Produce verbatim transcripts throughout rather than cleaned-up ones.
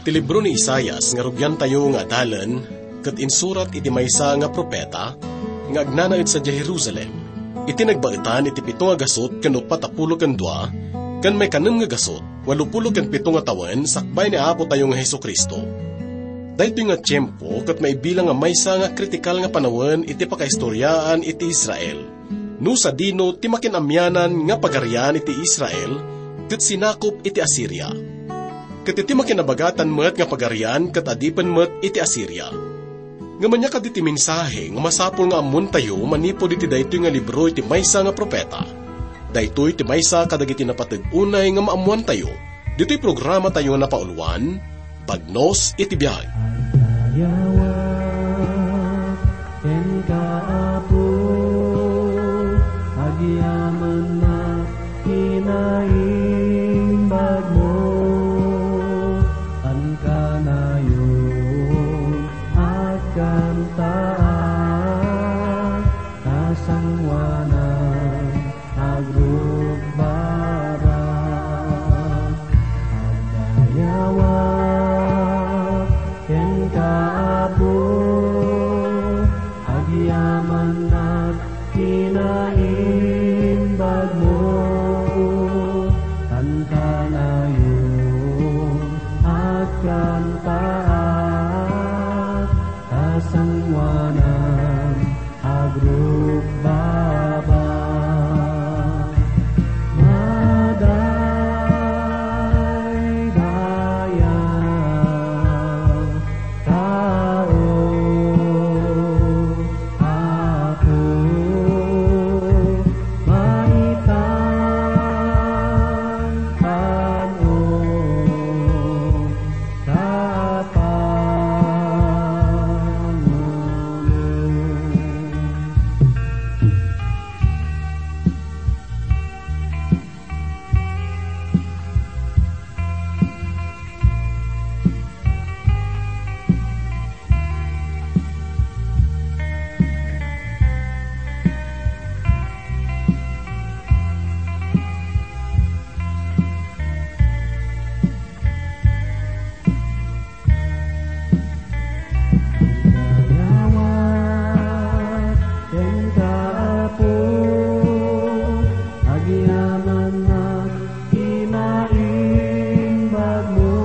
Ti libro ni Isaias nga rugiantayo nga adalen ket insurat iti maysa nga propeta nga agnanaed sadiay Jerusalem, iti nagbaetan iti pito nga gasut ken uppat a pulo ken dua, ken maikanem nga gasut, walupulo ken pito nga tawen sakbay ni Apotayo nga Jesu-Cristo. Daytoy nga tiempo ket maibilang nga maysa nga kritikal nga panawen iti pakaistoriaan iti Israel. No sadino ti makin-amianan nga pagarian iti Israel ket sinakop iti Asiria. Ket iti makinabagatan met nga pagarian ket adipen met iti Asiria. Ngem ania kadi ti mensahe nga masapul nga ammoentayo manipud iti daytoy nga libro iti maysa nga propeta? Daytoy ti maysa kadagiti napateg unay nga maammoantayo ditoy programatayo a napauluan, Bagnos iti Biag. Agdayawak kenka, Apo, agyamanak kinaimbagmo, ania kanayon agkantaak, kasangoanan agrukbaba. Agdayawak kenka, Apo, agyamanak kinaimbagmo, ania kanayon agkantaak, kasangoanan agrukbaba. Madaydayaw, tao, Apo, maitan tan-o, Kapangulo. Agdayawak kenka, Apo, agyamanak kinaimbagmo,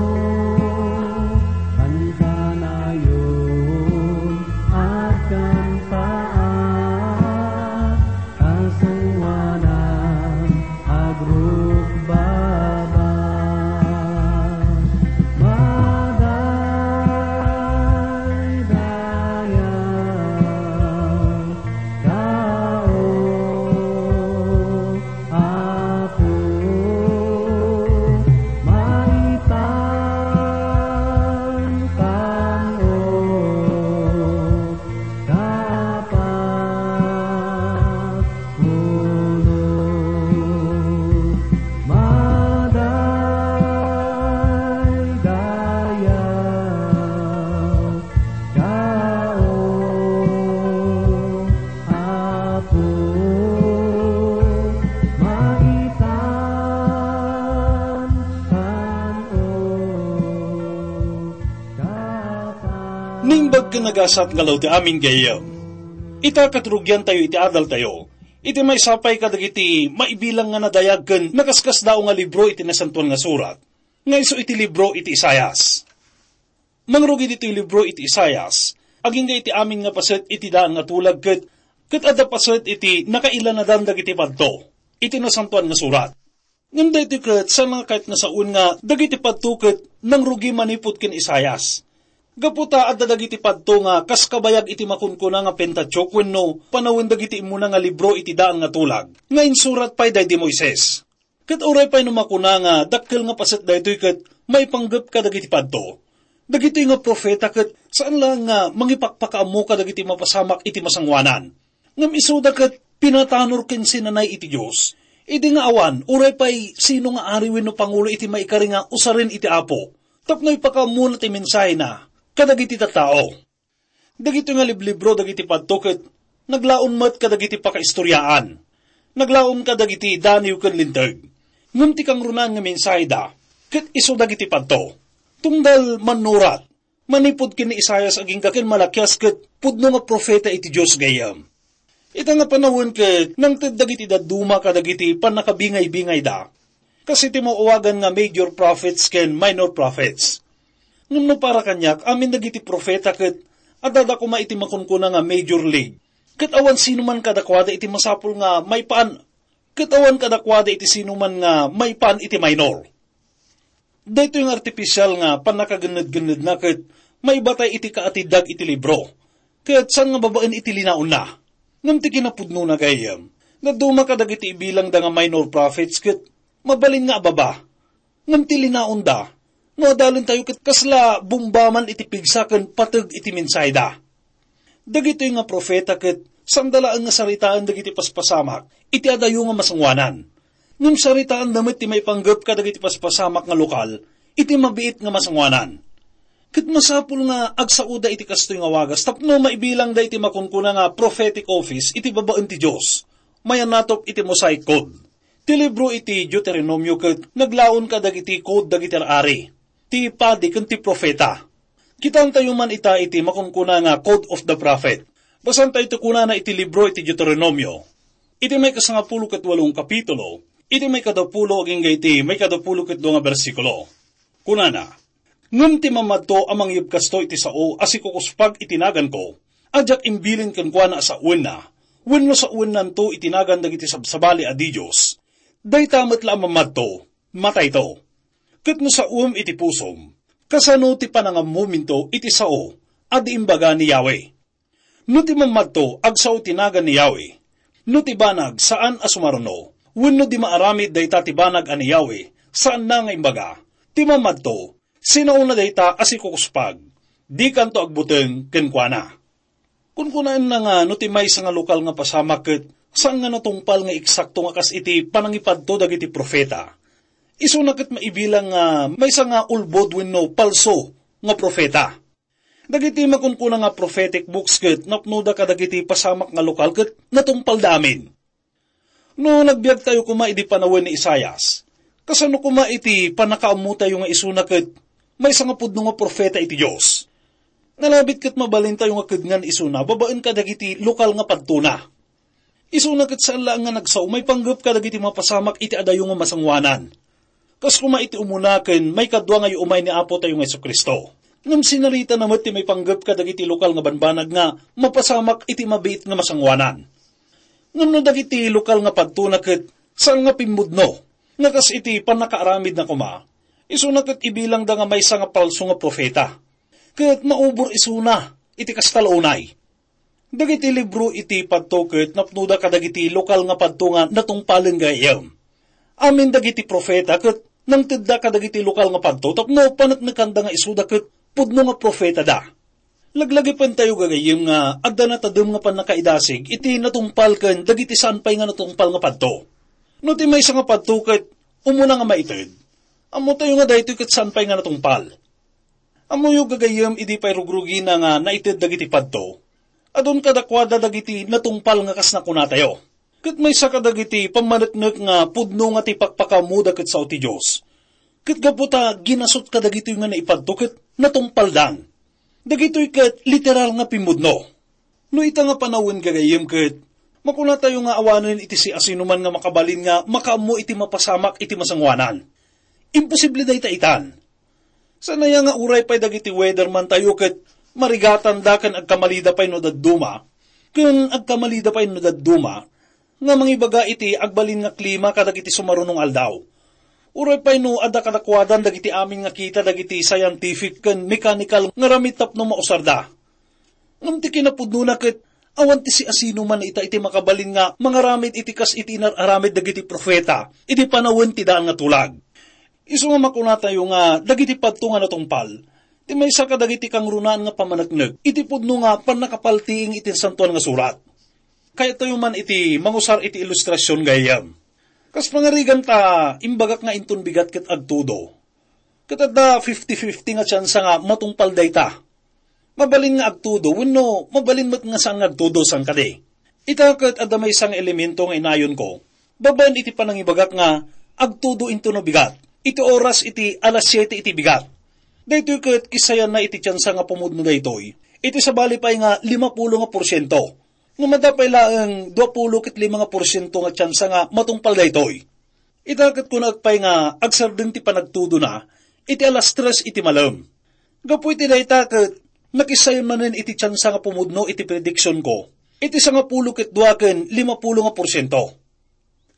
ania kanayon agkantaak, kasangoanan agrukbaba. Madaydayaw, tao, Apo, maitan tan-o, Kapangulo. Madaydayaw, tao, Apo, maitan tan-o, Kapangulo. Naimbag ken nagasat nga aldaw ti amin gayyem. Ita ket rugiantayo iti adaltayo, iti maysa pay kadagiti maibilang nga nadayag ken nakaskasdaaw nga libro iti Nasantoan nga Surat, nga isu iti libro iti Isaias. Mangrugi ditoy libro iti Isaias, agingga iti amin nga paset iti daan nga tulag ket, ket adda paset iti nakailanadan dagiti padto iti Nasantoan nga Surat. Ngem daytoy ket saan nga kayat nga sawen nga dagiti padto ket nangrugi manipud ken Isaias. Gapu ta adda dagiti padto nga kas kabayag iti makunkuna nga Pentateuch wenno panawen dagiti immuna nga libro iti daan nga tulag nga insurat pay daydi Moises. Ket uray pay no makuna nga dakkel nga paset daytoy ket maipanggep kadagiti padto, dagitoy nga profeta ket saan laeng nga mangipakpakaammo kadagiti mapasamak iti masangoanan. Ngem isuda ket pinatanor ken sinanay iti Dios. Idi nga awan, uray pay sino nga ari wenno pangulo iti maikari nga usaren iti Apo, tapno ipakaammona ti mensahena kadagiti tattao. Dagitoy nga liblibro dagiti padto ket naglaon met kadagiti pakaistoriaan. Naglaon kadagiti daniw ken linteg. Ngem ti kangrunaan nga mensaheda ket isu dagiti padto. Tunggal mannurat, manipud ken ni Isaias agingga ken Malakias ket pudno nga profeta iti Dios gayyem. Ita nga panawen ket nangted dagiti dadduma kadagiti pannakabingay-bingayda. Kas iti maawagan nga major prophets ken minor prophets. Ngem no para kaniak, amin dagiti profeta ket adda koma iti makunkuna nga major league. Ket awan sino man kadakuada iti masapul nga maipan, ket awan kadakuada iti sino man nga maipan iti minor. Daytoy nga artificial nga pannakagenned-gennedna ket maibatay iti kaatiddag iti libro, ket saan nga babaen iti linaonna. Ngem ti kinapudnona gayyem, dadduma kadagiti ibilangda nga minor prophets ket mabalin nga ababa. Ngem ti linaonda, no adalentayo ket kasla bomba man iti pigsa ken pateg iti mensaheda. Dagitoy nga profeta ket sanda laeng nga saritaen dagiti paspasamak iti adayo nga masangoanan. Ngem saritaenda met ti maipanggep kadagiti paspasamak nga lokal iti mabiit nga masangoanan. Ket masapul nga agsaoda iti kastoy nga wagas tapno maibilangda iti makunkuna nga prophetic office iti babaen ti Dios, mayannatop iti Mosaic Code. Ti libro iti Deuteronomio ket naglaon kadagiti code dagiti ar-ari, ti padi ken ti profeta. Kitaentayo man ita iti makunkuna nga Code of the Prophet. Basaentayo ti kunana iti libro iti Deuteronomio, iti maikasangapulo ket walong kapitulo, iti maikadapulo agingga iti maikadapulo ket dua nga bersikulo. Kunana, "Ngem ti mamadto a mangyebkasto iti sao a sikukuspag iti naganko, a diak imbilin kenkuana a sawenna, wenno sawenanto iti nagan dagiti sabsabali a didios, dayta met la a mamadto, matayto." Ket no saom iti pusom, kasano ti panangammominto iti sao a di imbaga ni Yahweh? No ti mamadto, agsao ti nagan ni Yahweh. No ti banag, saan a sumaruno, wenno di maaramid dayta ti banag a ni Yahweh, saanna nga imbaga, ti mamadto, sinaona dayta a sikukuspag, dikanto agbuteng kenkuana. Kunkunaenna nga no ti maysa nga lokal nga pasamak ket saan nga natungpal nga eksakto nga kas iti panangipadto dagiti profeta, isuna ket maibilang nga maysa nga ulbod wenno palso nga profeta. Dagiti makunkuna nga prophetic books ket napnoda kadagiti pasamak nga lokal ket natungpalda amin. No nagbiagtayo koma idi panawen ni Isaias, kasano koma iti pannakaammotayo nga isuna ket maysa nga pudno nga profeta iti Dios? Nalabit ket mabalintayo nga kedngan isuna babaen kadagiti lokal nga padtona. Isuna ket saan laeng nga nagsao maipanggep kadagiti mapasamak iti adayo nga masangoanan. Kas koma iti umuna ken maikadua nga iumay ni Apotayo nga Jesu-Cristo. Ngem sinaritana met ti maipanggep kadagiti lokal nga banbanag nga mapasamak iti mabiit nga masangoanan. Ngem no dagiti lokal nga padtona ket saan nga pimmudno nga kas iti pannakaaramidna koma, isuna ket ibilangda nga maysa nga palso nga profeta, ket maubor isuna iti kasta la unay. Dagiti libro iti padto ket napnoda kadagiti lokal nga padto nga natungpalen gayyem. Amin dagiti profeta ket nangtedda kadagiti lokal nga padto tapno paneknekanda nga isuda ket pudno nga profetada. Laglagipentayo gagayyem nga adda natadem nga pannakaidasig iti natungpal ken dagiti saan pay nga natungpal nga padto. No ti maysa nga padto ket umuna nga maited, ammotayo nga daytoy ket saan pay nga natungpal. Ammoyo gagayyem idi pay rugrugina nga naited dagiti padto, adun kadakuada dagiti natungpal nga kas nakunatayo. Ket maysa kadagiti pammaneknek nga pudno nga ti pakpakaammoda ket sao ti Dios. Ket gapu ta ginasut kadagitoy nga naipadto ket natungpaldan. Dagitoy ket literal nga pimmudno. No ita nga panawen gagayyem ket, makunatayo nga awanen iti siasinoman nga makabalin nga makaammo iti mapasamak iti masangoanan. Imposible dayta itan. Sanaya nga uray pay dagiti weatherman tayo ket marigatanda ken agkamalida pay no dadduma, ken agkamalida pay no dadduma, nga mangibaga iti agbalin nga klima kadagiti sumarunong aldaw. Uray pay no adda kadakuadan dagiti amin nga kita dagiti scientific ken mechanical nga ramid tapno mausarda. Ngem ti kinapudnona ket awan ti siasinoman ita iti makabalin nga mangaramid iti kas iti inar-aramid dagiti profeta iti panawen ti daan nga tulag. Isu nga makunatayo nga dagiti padto nga natungpal, ti maysa kadagiti kangrunaan nga pammaneknek iti pudno nga pannakapaltiing iti Santuan nga Surat. Kayatyo man iti mangusar iti ilustrasion gayyem. Kas pangarigan ta imbagak nga inton bigat ket agtudo, ket adda fifty fifty nga tsansa nga matungpal dayta. Mabalin nga agtudo wenno mabalin met nga saan nga agtudo, saan kadi? Ita ket adda maysa nga elemento nga inayonko babaen iti panangibagak nga agtudo intono bigat iti oras iti alas siete iti bigat. Daytoy ket kissayanna iti tiansa nga pumudno daytoy, iti sabali pay nga limapulo nga porsiento. Ngem adda pay laeng duapulo ket lima nga porsiento nga tiansa nga matungpal daytoy. Ita ket kunak pay nga agsardeng ti panagtudona iti alas tres iti malem. Gapu iti dayta ket nakissayan manen iti tiansa nga pumudno iti prediksionko iti sangapulo ket dua ken limapulo nga porsiento.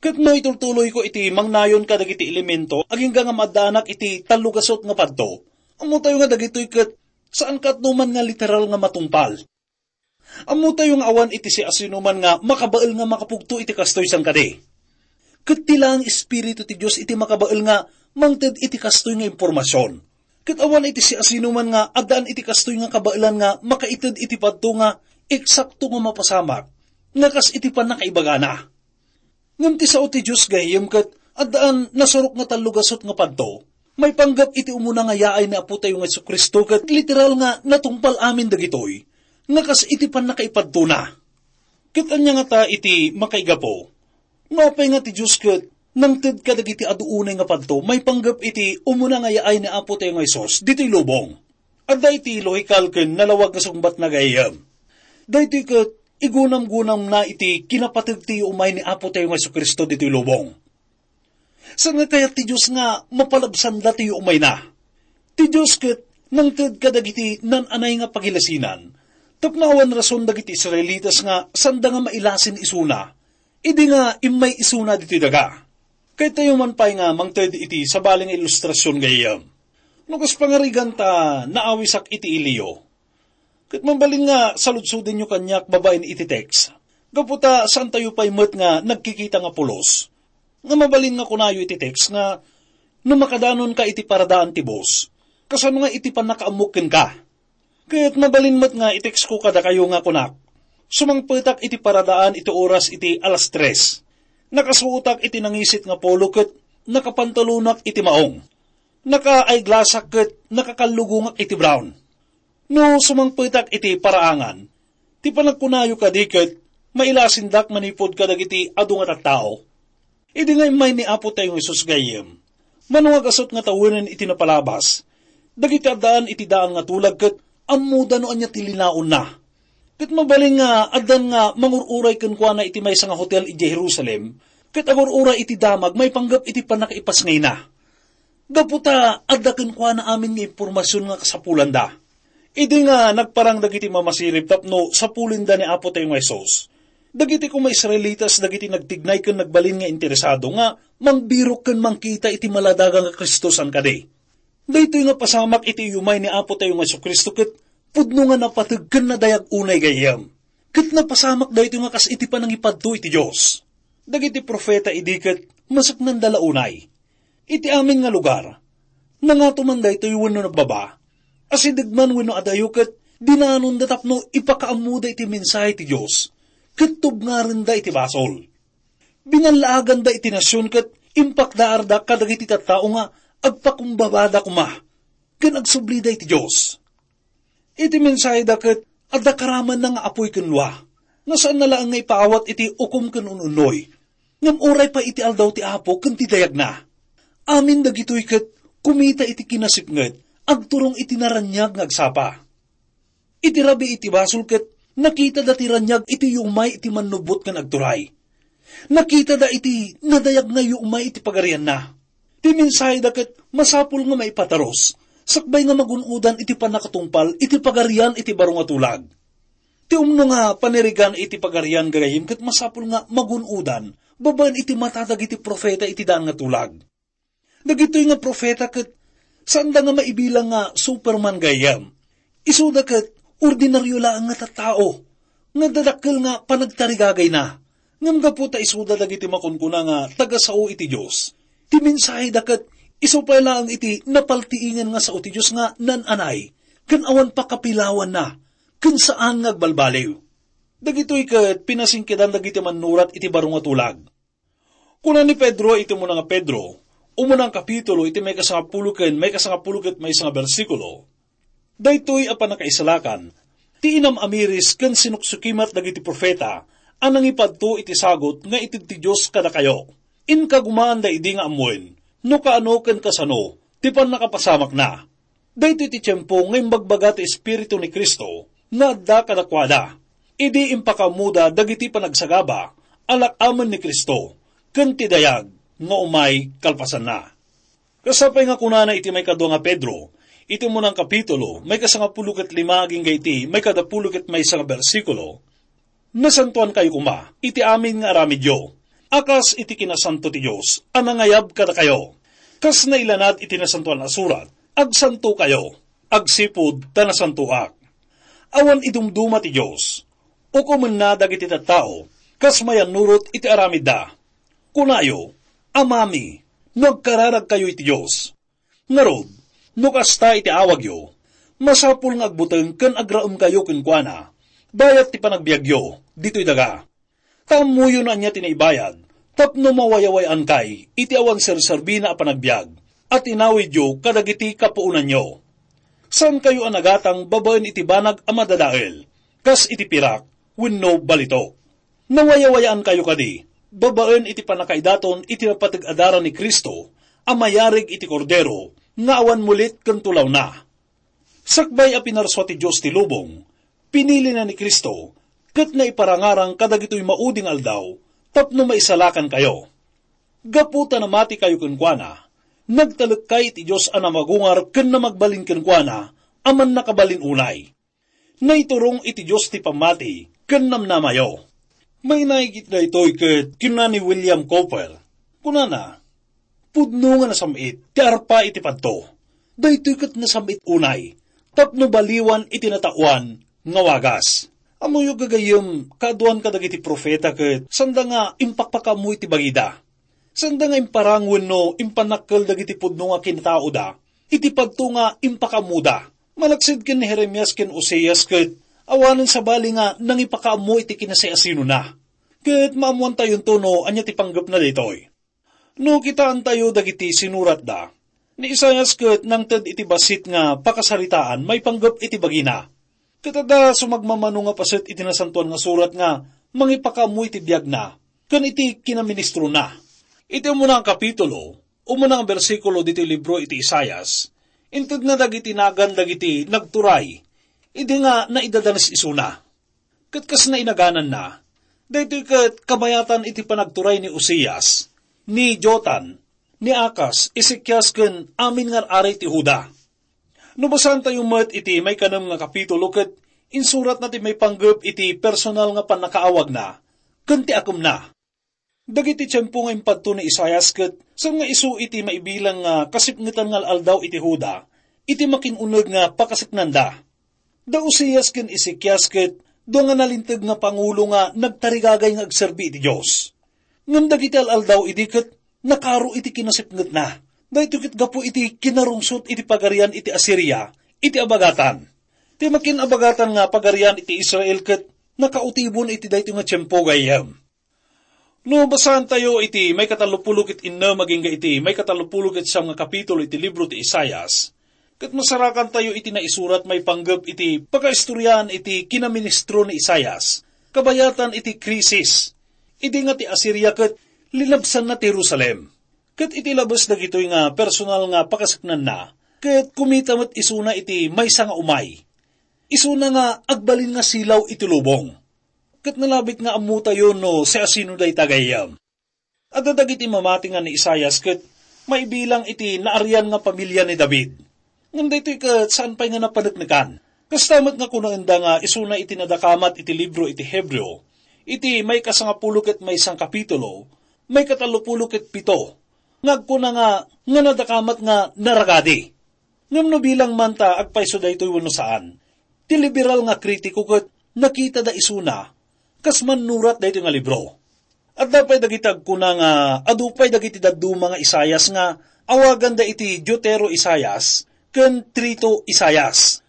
Ket no itultuloyko iti mangnayon kadagiti elemento agingga nga maaddaanak iti tallogasut nga padto, ammotayo nga dagitoy ket saan kaatnoman nga literal nga matungpal. Ammotayo nga awan iti siasinoman nga makabael nga makapugto iti kastoy saan kadi. Ket ti laeng Espiritu ti Dios iti makabael nga mangted iti kastoy nga impormasion. Ket awan iti siasinoman nga addaan iti kastoy nga kabaelan nga makaited iti padto nga eksakto nga mapasamak, nga kas iti pannakaibagana. Ngem ti sao ti Dios gayem ket addaan nasurok nga tallogasut nga padto, maipanggep iti umuna nga yaay ni Apotayo nga Jesu-Cristo ket literal nga natungpal amin dagitoy, nga kas iti pannakaipadtona. Ket ania ngata iti makaigapu? No apay nga ti Dios ket nangted kadagiti adu unay nga padto maipanggep iti umuna nga yaay ni Apotayo nga Jesus ditoy lubong. Adda iti lohikal ken nalawag nga sungbatna gayam. Daytoy ket igunamgunamna iti kinapateg ti umay ni Apotayo nga Jesu-Cristo ditoy lubong. Saan nga kayat ti Dios nga mapalabsanda ti umayna? Ti Dios ket nangted kadagiti nan-anay nga pagilasinan tapno awan rason dagiti Israelitas nga sanda nga mailasin isuna idi nga immay isuna ditoy daga. Kayatyo man pay nga mangted iti sabali nga ilustrasion gayam. No kas pangarigan ta naawisak iti iliyo, ket mabalin nga saludsodenyo kaniak babaen iti text. Gapu ta saantayo pay met nga nagkikita nga pulos. Nga mabalin nga kunayo iti text nga, "No makadanonka iti paradaan ti bus, kasano nga iti pannakaammok kenka?" Ket mabalin met nga i-text ko kadakayo nga kunak, "Sumangpetak iti paradaan iti oras iti alas tres. Nakasuotak iti nangisit nga polo ket nakapantalonak iti maong. Naka-eyeglassak ket nakakallugongak iti brown." No sumangpetak iti paraangan, ti panagkunayo kadi ket mailasindak manipud kadagiti adu nga tattao. Idi nga immay ni Apotayo nga Jesus gayyem, mano nga gasut nga tawenen iti napalabas, dagiti addaan iti daan nga tulag ket ammoda no ania ti linaonna. Ket mabalin nga addan nga mangur-uray kenkuana iti maysa nga hotel idiay Jerusalem, ket agur-uray iti damag maipanggep iti pannakaipasngayna. Gapu ta adda kenkuana amin nga impormasion nga kasapulanda. Idi nga nagparang dagiti mamasirib tapno sapulenda ni Apotayo nga Jesus, dagiti koma Israelitas dagiti nagtignay ken nagbalin nga interesado nga mangbirok ken mangkita iti maladaga nga Cristo saan kadi. Daytoy nga pasamak iti iyumay ni Apotayo nga Jesu-Cristo ket pudno nga napateg ken nadayag unay gayyem. Ket napasamak daytoy nga kas iti panangipadto iti Dios. Dagiti profeta idi ket masaknanda la unay. Iti amin nga lugar, nangato man daytoy wenno nagbaba, asideg man wenno adayo ket dinaanonda tapno ipakaammoda iti mensahe ti Dios ket tubngarenda iti basol. Binallaaganda iti nasion ket impakdaarda kadagiti tattao nga agpakumbabada koma ken agsublida iti Dios. Iti mensaheda ket adda karamanna nga apuy ken lua, nga saanna laeng nga ipaawat iti ukom ken un-unnoy. Ngem uray pay iti aldaw ti Apo ken ti dayagna. Amin dagitoy ket kumita iti kinasipnget, agturong iti naraniag nga agsapa. Iti rabii ti basol ket nakitada ti raniag iti yumay iti Mannubbot ken Agturay. Nakitada iti nadayag nga yumay iti pagarianna. Ti mensaheda ket masapul nga maipatarus, sakbay nga magun-odan iti pannakatungpal iti pagarian iti baro nga tulag. Ti umno nga panirigan iti pagarian gagayyem ket masapul nga magun-odan babaen iti mata dagiti profeta iti daan nga tulag. Dagitoy nga profeta ket saanda nga maibilang nga Superman gayyem. Isuda ket ordinario laeng nga tattao nga adda dakkel nga panagtarigagayna. Ngem gapu ta isuda dagiti makunkuna nga tagasao iti Dios, ti mensaheda ket isu pay laeng iti napaltiingen nga sao ti Dios nga nan-anay ken awan pakapilawanna ken saan nga agbalbaliw. Dagitoy ket pinasingkedan dagiti mannurat iti baro nga tulag. Kuna ni Pedro iti umuna nga Pedro, umuna nga kapitulo iti maikasangapulo ken maikasangapulo ket maysa nga bersikulo, "Daytoy a pannakaisalakan, ti inam-amiris ken sinuksukimat dagiti profeta a nangipadto iti sagut nga ited ti Dios kadakayo. Inkagumaanda idi nga ammoen no kaano ken kasano ti pannakapasamakna." Daytoy ti tiempo nga imbagbaga ti Espiritu ni Cristo nga adda kadakuada, idi impakaammoda dagiti panagsagaba a lak-amen ni Cristo ken ti dayag nga umay kalpasanna. Kas pay nga kunana iti maikadua nga Pedro, iti umunang kapitulo, maikasangapulo ket lima agingga iti maikadapulo ket maysa nga bersikulo, "Nasantoankayo koma iti amin nga aramidyo, a kas iti kinasanto ti Dios a nangayab kadakayo. Kas nailanad iti Nasantoan a Surat, agsantokayo, agsipud ta nasantoak." Awan idumduma ti Dios. Ukomenna dagiti tattao kas mayannurot iti aramidda. Kunayo, "Amami, no agkararagkayo iti Dios." Ngarud, no kasta iti awagyo, masapul nga agbuteng ken agraemkayo kenkuana, bayat ti panagbiagyo ditoy daga. Ta ammoyo no ania ti naibayad tapno mawayaway-ankay iti awan serserbina a panagbiag a tinawidyo kadagiti kapuonanyo. Saankayo a nagatang babaen iti banag a madadael, kas iti pirak wenno balitok. Nawayawayaan kayo kadi, babaen iti pannakaidaton iti napateg a dara ni Cristo a mayarig iti Kordero nga awan mulit ken tulawna. Sakbay a pinarsua ti Dios ti lubong, pinilina ni Cristo ket naiparangarang kadagitoy maudi nga aldaw tapno maisalakan kayo. Gapu ta namati kayo kenkuana, nagtalek kay ti Dios a namagungar ken namagbalin kenkuana a mannakabalin unay. Naiturong iti Dios ti pammati ken namnamayo. Mainaig iti daytoy ket kinuna ni William Cowper. Kunana, "Pudno nga nasam-it ti arpa iti padto. Daytoy ket nasam-it unay tapno baliwan iti nataoan nga wagas." Ammoyo, gagayyem, kaaduan kadagiti profeta ket sanda nga impakpakaammo iti bagida. Sanda nga imparang wenno impannakkel dagiti pudno nga kinataoda iti padto nga impakaammoda. Malaksid ken ni Jeremias ken Oseas ket awanen sabali nga nangipakaammo iti kinasiasinona. Ket maammoantayonto no ania ti panggepna daytoy. No kitaentayo dagiti sinuratda, ni Isaias ket nangted iti bassit nga pakasaritaan maipanggep iti bagina. Ket adda sumagmamano nga paset iti Nasantoan nga Surat nga mangipakaammo iti biagna ken iti kinaministrona. Iti umuna nga kapitulo, umuna nga bersikulo ditoy libro iti Isaias, intedna dagiti nagan dagiti nagturay idi nga naidadanes isuna. Ket kas nainagananna, daytoy ket kabayatan iti panagturay ni Uzias, ni Jotan, ni Acaz, Ezekias, ken amin nga ar-ari ti Juda. No basaantayo met iti maikanem nga kapitulo ket insuratna ti maipanggep iti personal nga pannakaawagna ken ti akemna. Dagiti tiempo nga impadto ni Isaias ket saan nga isu iti maibilang nga kasipngetan nga al-aldaw iti Juda iti makin-uneg nga pakasipnanda. Da Uzias ken Ezekias ket dua nga nalinteg nga pangulo nga nagtarigagay nga agserbi iti Dios. Ngem dagiti al-aldaw idi ket nakaro iti kinasipngetna. Daytoy ket gapu iti kinarungsot iti pagarian iti Asiria iti abagatan. Ti makin-abagatan nga pagarian iti Israel ket nakautibon iti daytoy nga tiempo gayyem. No basaantayo iti maikatallopulo ket innem agingga iti maikatallopulo ket siam nga kapitulo iti libro ti Isaias, ket masarakantayo iti naisurat maipanggep iti pakaistoriaan iti kinaministro ni Isaias, kabayatan iti krisis, idi nga ti Asiria ket linabsanna ti Jerusalem. Ket iti labes dagitoy nga personal nga pakasipnanna, ket kumita met isuna iti maysa nga umay. Isuna nga agbalin nga silaw iti lubong. Ket nalabit nga ammotayo no siasino dayta gayyem. Adda dagiti mamati nga ni Isaias ket maibilang iti naarian nga pamilia ni David. Ngem daytoy ket saan pay nga napaneknekan. Kasta met nga kunaenda nga isuna iti nadakamat iti libro iti Hebreo, iti maikasangapulo ket maysa nga kapitulo, maikatallopulo ket pito, nga agkuna nga, nga nadakamat nga naragadi. Ngem no bilang man ta agpayso daytoy wenno saan, ti liberal nga kritiko ket nakitada isuna kas mannurat daytoy nga libro. Adda pay dagiti agkuna nga adu pay dagiti dadduma nga Isaias nga awaganda iti Deutero Isaias ken Trito Isaias.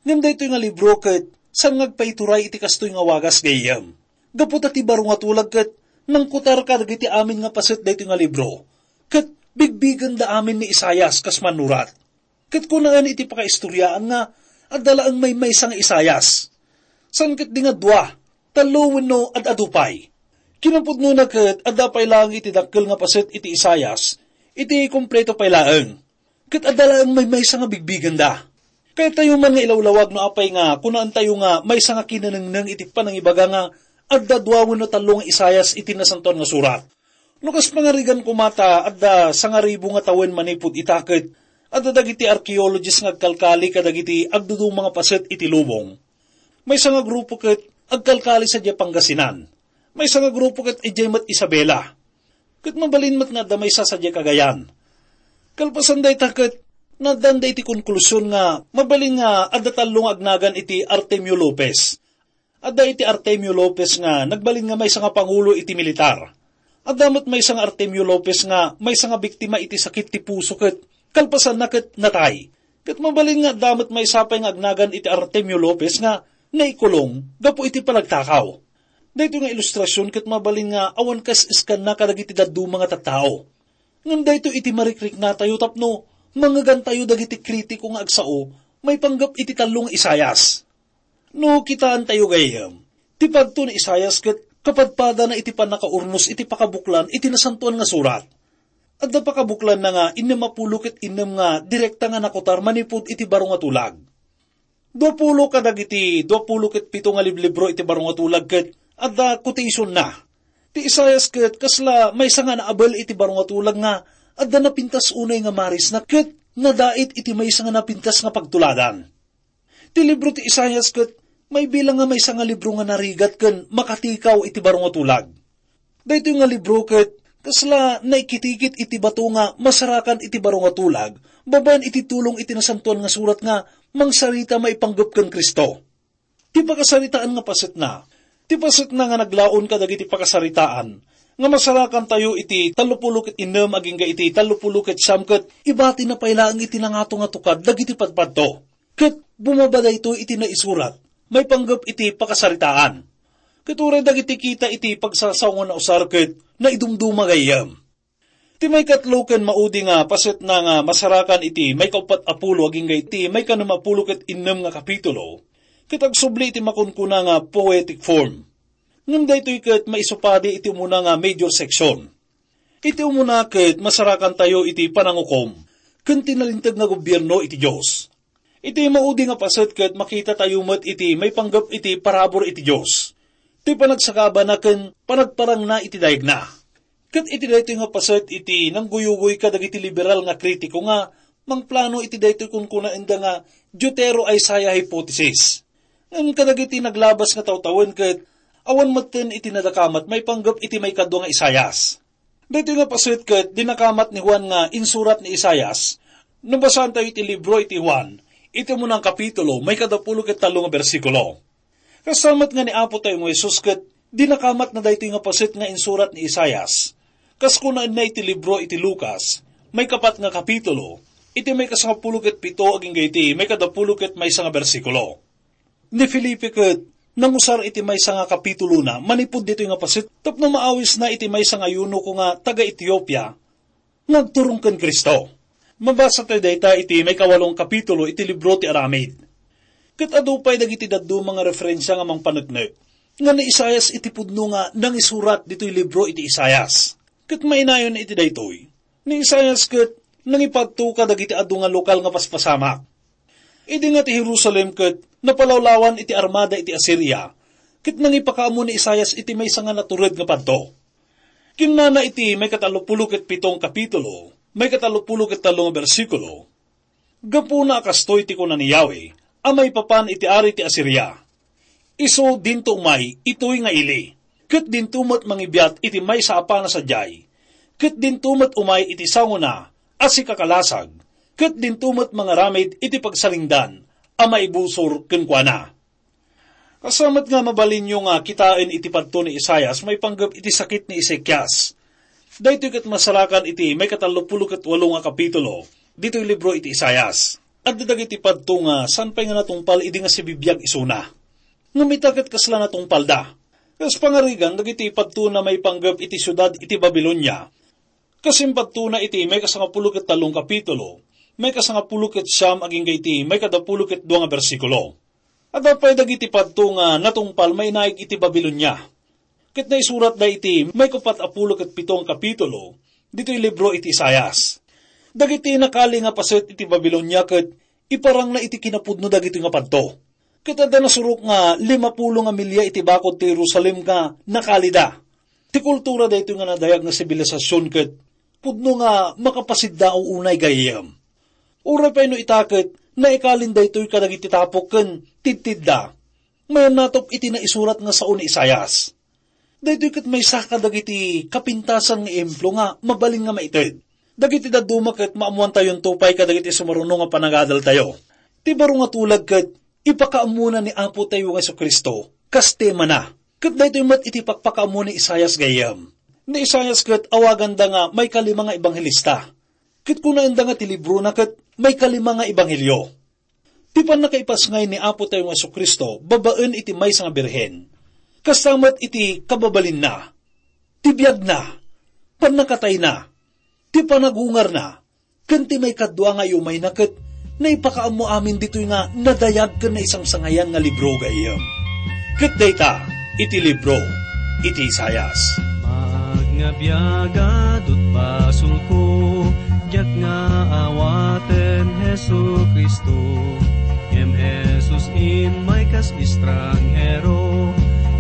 Ngem daytoy nga libro ket saan nga agpaituray iti kastoy nga wagas gayyem. Gapu ta ti baro nga tulag ket nangkutar kadagiti amin nga paset daytoy nga libro, ket bigbigenda amin ni Isaias kas mannurat. Ket kunaen iti pakaistoriaan nga adda laeng maymaysa nga Isaias. Saan ket di nga dua, tallo wenno ad-adu pay. Kinapudnona ket adda pay laeng iti dakkel nga paset iti Isaias, iti kompleto pay laeng. Ket adda laeng maymaysa nga bigbigenda. Kayatyo man nga ilawlawag no apay nga kunaentayo nga maysa nga kinanengneng iti panangibaga nga adda dua wenno tallo nga Isaias iti Nasantoan nga Surat. No kas pangarigan koma ta adda sangaribu nga tawen manipud ita ket adda dagiti archaeologist nga agkalkali kadagiti agduduma nga paset iti lubong. Maysa nga grupo ket agkalkali sadiay Pangasinan. Maysa nga grupo ket idiay met Isabela. Ket mabalin met nga adda maysa sadiay Cagayan. Kalpasan dayta ket naaddan da iti konklusion nga mabalin nga adda tallo nga agnagan iti Artemio Lopez. Adda iti Artemio Lopez nga nagbalin nga maysa nga pangulo iti militar. Adda met maysa nga Artemio Lopez nga maysa nga biktima iti sakit ti puso ket kalpasanna ket natay. Ket mabalin nga adda met maysa pay nga agnagan iti Artemio Lopez nga naikulong gapu iti panagtakaw. Daytoy nga ilustrasion ket mabalin nga awan kas-iskanna kadagiti dadduma nga tattao. Ngem daytoy iti marikriknatayo tapno mangngegantayo dagiti kritiko nga agsao maipanggep iti tallo nga Isaias. No kitaentayo gayyem, ti padto ni Isaias ket kapadpadana iti pannakaurnos iti pakabuklan iti Nasantoan nga Surat. Adda pakabuklanna nga innem a pulo ket innem nga direkta nga nakutar manipud iti baro nga tulag. Duapulo kadagiti duapulo ket pito nga liblibro iti baro nga tulag ket adda quotationna. Ti Isaias ket kasla maysa nga naabel iti baro nga tulag nga adda napintas unay nga marisna ket nadait iti maysa nga napintas nga pagtuladan. Ti libro ti Isaias ket maibilang nga maysa nga libro nga narigat ken makatikaw iti baro nga tulag. Daytoy nga libro ket kasla naikitikit iti bato nga masarakan iti baro nga tulag babaen iti tulong iti Nasantoan nga Surat nga mangsarita maipanggep ken Cristo. Ti pakasaritaan nga pasetna, ti pasetna nga naglaon kadagiti pakasaritaan nga masarakantayo iti tallopulo ket innem agingga iti tallopulo ket siam ket ibatina pay laeng iti nangato nga tukad dagiti padpadto. Ket bumaba daytoy iti naisurat maipanggep iti pakasaritaan. Ket uray dagiti kita iti pagsasaongan a usar ket naidumduma gayyem. Ti maikatlo ken maudi nga pasetna nga masarakan iti maikauppat a pulo agingga iti maikanem a pulo ket innem nga kapitulo, ket agsubli iti makunkuna nga poetic form. Ngem daytoy ket maisupadi iti umuna nga major section. Iti umuna ket masarakantayo iti panangukom ken ti nalinteg nga gobierno iti Dios. Iti maudi nga paset ket makitatayo met iti maipanggep iti parabur iti Dios, ti panagsakabana ken panagparangna iti dayegna. Ket iti daytoy nga paset iti nangguyugoy kadagiti liberal nga kritiko nga mangplano iti daytoy kunkunaenda nga Deutero-Isaiah hypothesis. Ngem kadagiti naglabas nga tawtawen ket awan metten iti nadakamat maipanggep iti maikadua nga Isaias. Daytoy nga paset ket dinakamat ni Juan nga insurat ni Isaias. No basaantayo iti libro iti Juan, iti umuna nga kapitulo, maikadapulo ket tallo nga bersikulo. Kasla met nga ni Apo tayo nga Jesus ket dinakamatna daytoy nga paset nga insurat ni Isaias. Kas kunaenna iti libro iti Lucas, maikapat nga kapitulo, iti maikasangapulo ket pito agingga iti maikadapulo ket maysa nga bersikulo. Ni Felipe ket nangusar iti maysa nga kapitulona manipud ditoy nga paset tapno maawisna iti maysa nga eunuko nga taga-Etiopia nga agturong ken Cristo. Mabasa tayo dayta iti maikawalong kapitulo iti libro ti Aramid. Ket adu pay dagiti dadduma nga referensia nga mangpaneknek nga ni Isaias iti pudno nga nangisurat ditoy libro iti Isaias. Ket mainayon iti daytoy, ni Isaias ket nangipadto kadagiti adu nga lokal nga paspasamak. Idi nga ti Jerusalem ket napalawlawan iti armada iti Asiria, ket nangipakaammo ni Isaias iti maysa nga natured nga padto. Kinnana iti maikatallopulo ket pito nga kapitulo, maikatallopulo ket tallo nga bersikulo, "Gapuna a kastoy ti kuna ni Yahweh a maipapan iti ari ti Asiria, isu dinto umay itoy nga ili, ket dinto met mangibiat iti maysa a pana sadiay, ket dinto met umay iti sangona a sikakalasag, ket dinto met mangaramid iti pagsalingdan a maibusor kenkuana." Kasamet nga mabalinyo nga kitaen iti padto ni Isaias maipanggep iti sakit ni Ezekias. Daytoy ket masarakan iti maikatallopulo ket walo nga kapitulo ditoy libro iti Isaias. Adda dagiti padto nga saan pay nga natungpal idi nga sibibiag isuna. Ngem ita ket kasla natungpalda. Kas pangarigan dagiti padtona maipanggep iti siudad iti Babilonia. Kas impadtona iti maikasangapulo ket tallo nga kapitulo, maikasangapulo ket siam agingga iti maikadapulo ket dua nga bersikulo. Adda pay dagiti padto nga natungpal mainaig iti Babilonia. Ket naisuratda iti maikaupat a pulo ket pito nga kapitulo ditoy libro iti Isaias. Dagiti nakali nga paset iti Babilonia ket Iparangna iti kinapudno dagitoy nga padto. Ket adda nasurok nga limapulo nga milia iti bakod ti Jerusalem nga nakalida. Ti kultura daytoy nga nadayag nga sibilisasyon ket pudno nga makapasiddaaw unay gayyem. Uray pay no ita ket naikalin daytoy kadagiti tapok ken tidtidda. Mayannatop iti naisurat nga sao ni Isaias. Daytoy ket maysa kadagiti kapintasan nga ehemplo nga mabalin nga maited. Dagiti dadduma ket maammoantayonto pay kadagiti sumaruno nga panagadaltayo. Ti baro nga tulag ket ipakaammona ni Apotayo nga Jesu-Cristo kas temana. Ket daytoy met iti pakpakaammo ni Isaias gayyem. Ni Isaias ket awaganda nga maikalima nga ebanghelista. Ket kunaenda nga ti librona ket maikalima nga ebanghelio. Ti pannakaipasngay ni Apotayo nga Jesu-Cristo babaen iti maysa nga birhen. Kasta met iti kababalinna, ti biagna, pannakatayna, ti panagungarna, ken ti maikadua nga iumayna ket naipakaammo amin ditoy nga nadayag ken naisangsangayan nga libro gayyem. Ket dayta iti libro iti Isaias. Maag nga biag, adut basolko, diak nga awaten Jesu-Cristo. Ngem Jesus immay kas estranghero,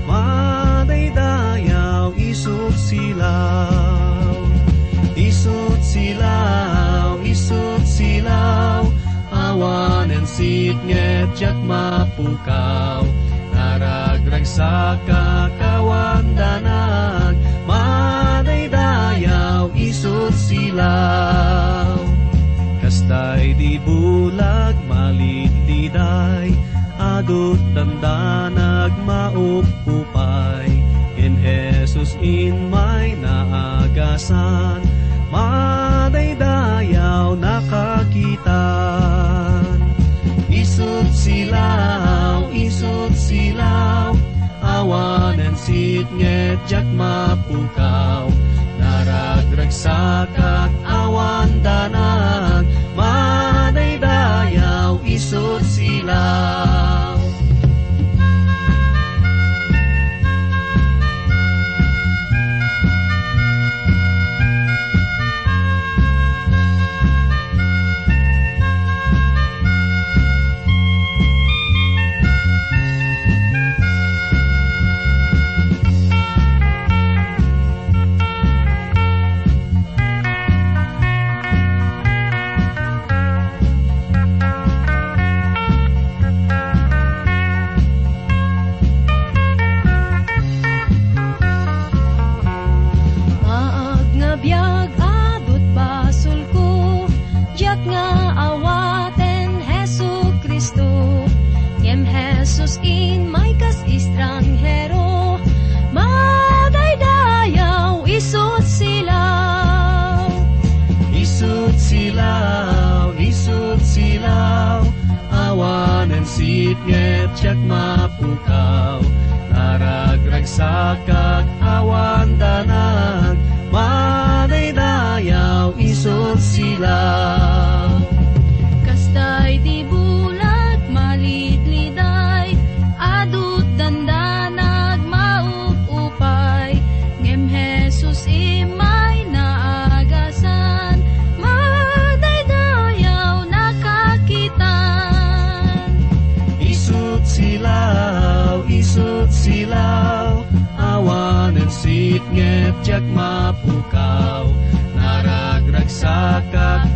madaydayaw isut silaw. Isut silaw, isut silaw, awanen sitnget diak mapukaw. Naragragsakak awan danag, madaydayaw isut silaw. Kasta idi bulag malidliday, adut dandanag maupupay. Ngem Jesus immay naagasan, madaydayaw nakakitan. Isut silaw, isut silaw, awanen sitnget diak mapukaw. Naragragsakak awan danag, madaydayaw isut silaw. Maag nga biag, adut basolko, diak nga awaten Jesu-Cristo. Ngem Jesus immay kas estranghero, madaydayaw isut silaw. Isut silaw, isut silaw, awanen sitnget diak mapukaw. Naragragsakak awan danag, madaydayaw isut silaw. Kasta iti bulag malidliday, adut dandanag maupupay, ngem Jesus immay naagasan, madaydayaw nakakitan. Isut silaw, isut silaw, awanen sitnget diak mapukaw. Naragragsakak